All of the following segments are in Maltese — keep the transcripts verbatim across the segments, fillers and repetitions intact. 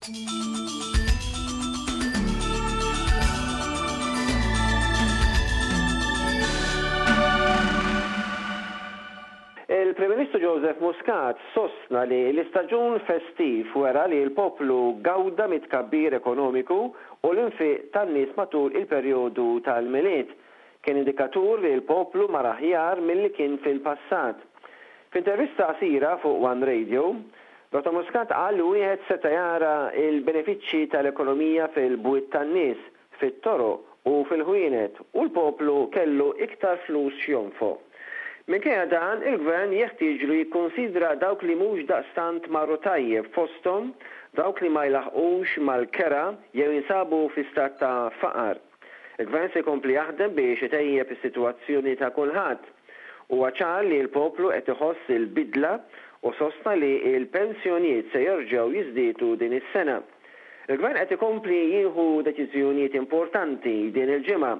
Il-Prim Ministru Joseph Muscat sostna li l-istaġun festiv wera li l-poplu gawda mit-tkabbir ekonomiku u l-infiq tan-nies matul il-perjodu tal-Milied kien indikatur li l-poplu mar aħjar milli kien fil-passat. F'intervista qasira fuq One Radio, Dottor Muscat qal li wieħed seta' jara l-benefiċċji tal-ekonomija fil-bwiet tan-nies, fit-toroq u fil-ħwienet u l-poplu kellu iktar flus x'jonfoq. Minkejja dan, il-Gvern jeħtieġlu jikkunsidra dawk li mhux daqstant marru tajjeb fosthom dawk li ma jlaħħqux mal-kera jew jinsabu fi stat ta' faqar. Il-Gvern se jkompli jaħdem biex itejjeb is-sitwazzjoni ta' kulħadd. Huwa ċar li l-poplu qed iħoss il-bidla u sostna li l-pensjonijiet se jerġgħu jiżdiedu din is-sena. Il-Gvern qed ikompli jieħu deċiżjonijiet importanti din il-ġimgħa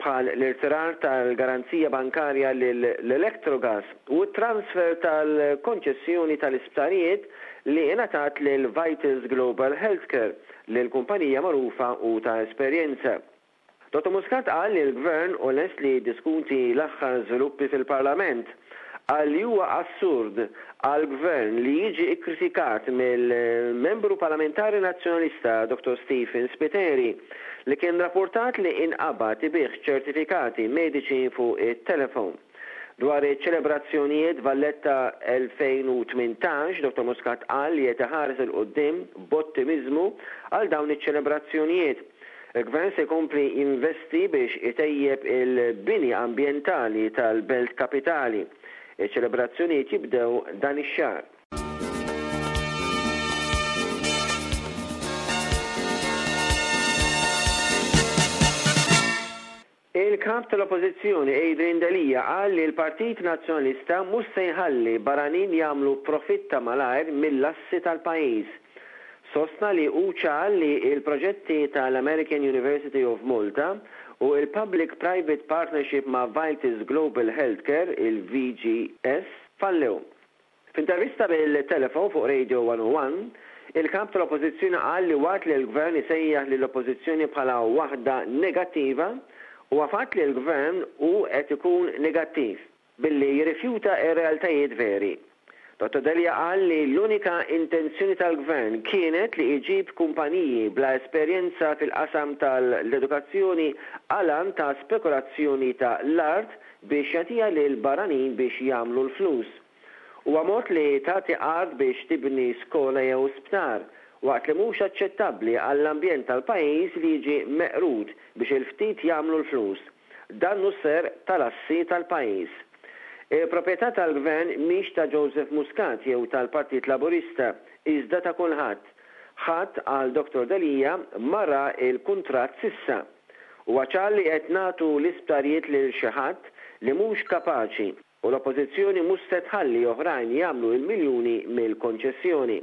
bħal l-irtirar tal-garanzija bankarja lill-Electrogas u t-transfer tal-konċessjoni tal-isptarijiet li ingħatat lil Vitals Global Healthcare, lil kumpanija magħrufa u ta' esperjenza. Dottor Muscat qal li l-Gvern hu lest li jiddiskuti l-aħħar żviluppi fil-Parlament. Qal li huwa assurd għall-Gvern li jiġi kkritikat mill-Membru Parlamentari Nazzjonalista Dottor Stephen Spiteri li kien rapportat li inqabad ibigħ ċertifikati mediċi fuq it-telefon. Dwar iċ-ċelebrazzjonijiet Valletta elfejn u tmintax, Dottor Muscat qal li qed iħares 'il quddiem b'ottimiżmu għal dawn iċ-ċelebrazzjonijiet. Il-Gvern se jkompli jinvesti biex itejjeb il-bini ambjentali tal-Belt Kapitali. Iċ-ċelebrazzjonijiet jibdew dan ix-xahar. Il-kap tal-Oppożizzjoni Adrian Delia qal li l-Partit Nazzjonalista mhux se jħalli barranin jagħmlu profitt ta' malajr mill-assi tal-pajjiż. Sostna li hu ċar li l-proġetti tal-American University of Malta u l-Public Private Partnership ma' Vitals Global Healthcare, il-V G S, fallew. F'intervista bil-telefon fuq Radio one oh one, il-kap tal-Oppożizzjoni qal li waqt li l-Gvern isejjaħ lill-Oppożizzjoni bħala waħda negattiva, huwa fatt li l-Gvern hu qed ikun negattiv billi jirrifjuta r-realtajiet veri. Dottor Delia qal li l-unika intenzjoni tal-Gvern kienet li iġib kumpaniji bla esperjenza fil-qasam tal-edukazzjoni għal ta' spekulazzjoni ta' l-art biex jagħtiha lil barranin biex jagħmlu l-flus. Huwa mod li tagħti art biex tibni skola jew sptar, waqt li mhux aċċettabbli għall-ambjent tal-pajjiż li jiġi meqrud biex il-ftit jagħmlu l-flus. Dan hu ser tal-assi tal-pajjiż. Il-proprjetà tal-Gvern mhix ta' Joseph Muscat jew tal-Partit Laburista, iżda ta' kulħadd. Ħadd għal Dottor Delia ma ra l-kuntratt sissa. Huwa ċar li qed nagħtu l-isptarijiet lil xi ħadd li mhux kapaċi u l-Oppożizzjoni mhux se tħalli oħrajn jagħmlu l-miljuni mill-konċessjoni.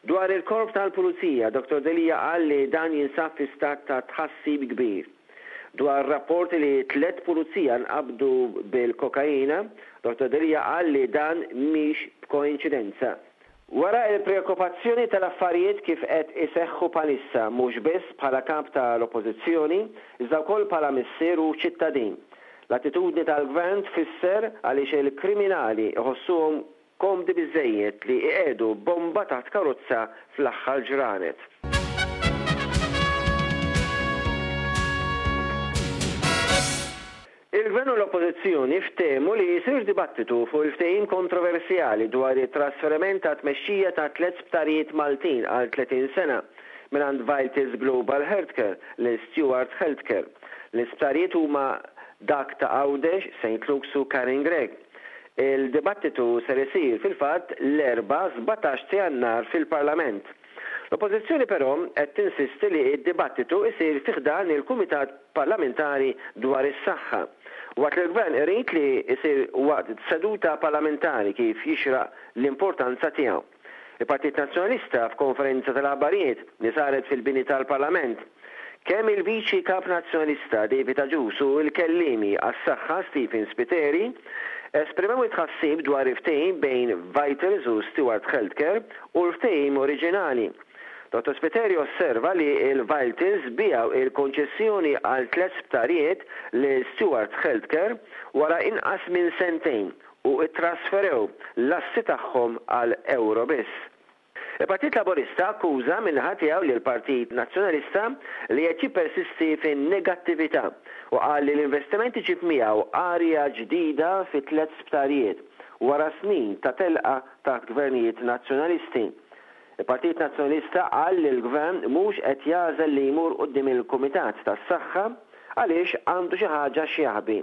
Dwar il-korp tal-Pulizija, Dottor Delia qal li dan jinsab fi stat ta' tħassib kbir. Dwar rapporti li tliet pulizija nqabdu bil-kokaina, Dottor Delia qal li dan mhix b'koinċidenza. Wara il-preokkupazzjoni tal-affarijiet kif qed iseħħu bħalissa mhux biss bħala kap tal-Oppożizzjoni, iżda wkoll bħala missier u ċittadin. L-attitudni tal-Gvern tfisser għaliex il-kriminali iħossuhom komdi biżżejjed li iqiegħdu bomba taħt karozza fl-aħħar ġranet. Il-Gvern u l-Oppożizzjoni ftehmu li jsir dibattitu fuq il-ftehim kontroversjali dwar it-trasferiment ta' tmexxija ta' tliet sptarijiet Maltin għal tletin sena mingħand Vitals Global Healthcare lil Steward Healthcare. L-isptarijiet huma dak ta' Għawdex, Saint Luke's u Karin Grech. Il-dibattitu ser isir fil-fatt l-Erbgħa sbatax ta' Jannar fil-Parlament. L-Oppożizzjoni però qed tinsisti li d-dibattitu isir fi ħdan il-Kumitat Parlamentari dwar is-Saħħa. Waqt li l-Gvern irid li isir waqt seduta parlamentari kif jixraq l-importanza tiegħu. Il-Partit Nazzjonalista f'konferenza tal-aħbarijiet li saret fil-bini tal-Parlament, kemm il-Viċi Kap Nazzjonalista David Agius u l-kellimi għas-saħħa Stephen Spiteri esprimew it-tħassib dwar il-ftehim bejn Vitals u Steward Healthcare u l-ftehim oriġinali. Dottor Spiteri osserva li l-Vitals biegħu il-konċessjoni għal tliet sptarijiet lil Steward Healthcare wara inqas minn sentejn u ttrasferew l-assi tagħhom għal ewro biss. Il-Partit Laburista akkuża min-naħa tiegħu lill-Partit Nazzjonalista li qed jippersisti fin-negattività u qal li l-investiment iġib miegħu arja ġdida fi tliet sptarijiet wara snin ta' telqa taħt gvernijiet Nazzjonalisti. Il-Partit Nazzjonalista qal li l-Gvern mhux qed jagħżel li jmur quddiem il-Kumitat tas-Saħħa għaliex għandu xi ħaġa x'jaħbi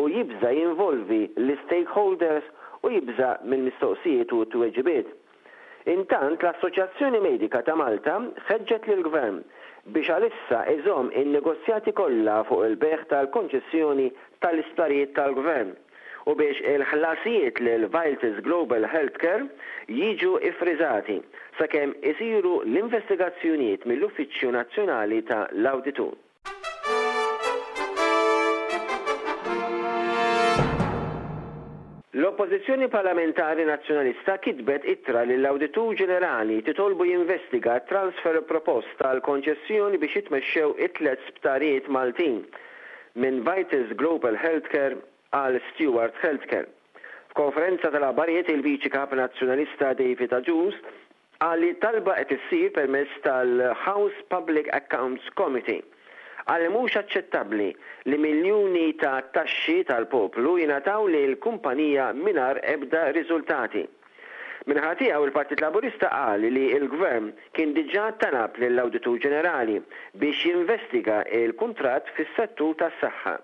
u jibża' jinvolvi l-istakeholders u jibża' mill-mistoqsijiet u t-tweġibiet. Intant, l-Assoċjazzjoni Medika ta' Malta ħeġġet lill-Gvern biex għalissa iżomm in-negozjati kollha fuq il-bejgħ tal-konċessjoni tal-isptarijiet tal-Gvern u biex il-ħlasijiet lil Vitals Global Healthcare jiġu iffriżati sakemm isiru l-investigazzjonijiet mill-Uffiċċju Nazzjonali ta' l-Awditur. L-Oppożizzjoni Parlamentari Nazzjonalista kitbet ittra lill-Awditur Ġenerali titolbu jinvestiga t-transfer propost tal-konċessjoni biex jitmexxew it-tliet sptarijiet Maltin minn Vitals Global Healthcare għal Steward Healthcare. F'konferenza tal-aħbarijiet il-Viċi Kap Nazzjonalista David Agius qal li t-talba qed issir permezz tal-House Public Accounts Committee. Qal li mhux aċċettabbli li miljuni ta' taxxi tal-poplu jingħataw lil kumpanija mingħajr ebda riżultati. Min-naħa tiegħu il-Partit Laburista qal li l-Gvern kien diġà talab lill-Awditur Ġenerali biex jinvestiga l-kuntratt fis-settur tas-saħħa.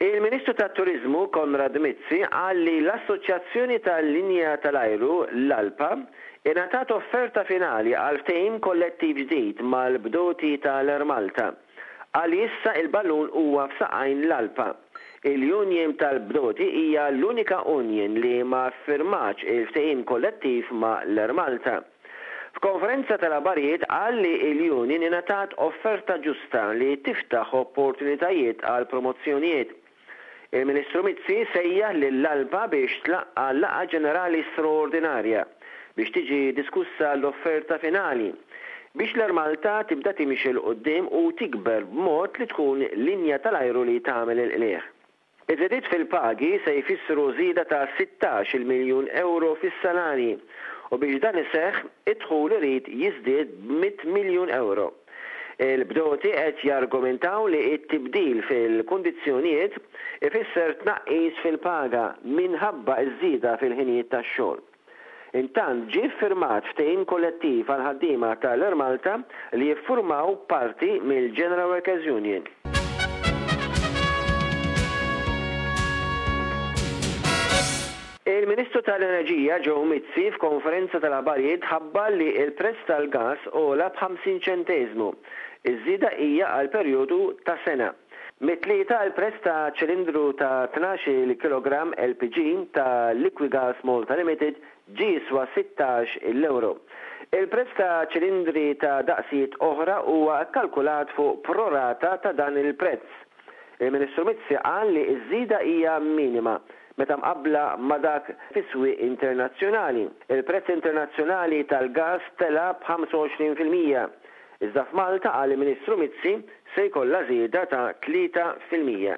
Il-Ministru tat-Turiżmu Konrad Mizzi qal li l-Assoċjazzjoni tal-Linja tal-Ajru, l-ALPA, ingħatat offerta finali għal ftehim kollettiv ġdid mal-bdoti tal-Air Malta. Qal li issa il-ballun huwa f'saqajn l-ALPA. Il-Union tal-Bdoti hija l-unika union li ma ffirmatx il-ftehim kollettiv ma' l-Air Malta. F'konferenza tal-aħbarijiet qal li l-union ingħatat offerta ġusta li tiftaħ opportunitajiet għal promozzjonijiet. Il-Ministru Mizzi sejjaħ lill-ALPA biex tlaqqa' laqgħa ġenerali straordinarja biex tiġi diskussa l-offerta finali biex l-Air Malta tibda timxi 'l quddiem u tikber b'mod li tkun linja tal-ajru li tagħmel il-qligħ. Iż-żidiet fil-pagi se jfissru żieda ta' sittax-il miljun ewro fis-salarji u biex dan iseħħ, id-dħul irid jiżdied b'mitt miljun ewro. Il-bdoti qed jargumentaw li t-tibdil fil-kundizzjonijiet ifisser tnaqqis fil-paga minħabba ż-żieda fil-ħinijiet tax-xogħol. Intant ġie ffirmat ftehim kollettiv għall-ħaddiema tal-Air Malta li jiffurmaw parti mill-General Workers Union. Il-Ministru tal-Enerġija Joe Mizzi f'konferenza tal-aħbarijiet ħabbar li l-prezz tal-gass għola b'ħamsin ċenteżmu. Iż-żieda hija għal perjodu ta' sena. Mit-Tlieta l-prezz ta' ċilindru ta' tnax-il kilogramm L P G ta' Liquigas Malta Limited ġie jiswa sittax il ewro. Il-prezz ta' ċilindri ta' daqsijiet oħra huwa kkalkulat fuq prorata ta' dan il-prezz. Il-Ministru Mizzi qal li ż-żieda hija minima meta mqabbla ma' dak fis-swieq internazzjonali. Il-prezz internazzjonali tal-gass tela' b'ħamsa u għoxrin fil-mija. Iżda f'Malta, qal il-Ministru Mizzi, se jkollha żieda ta' tlieta fil-mija.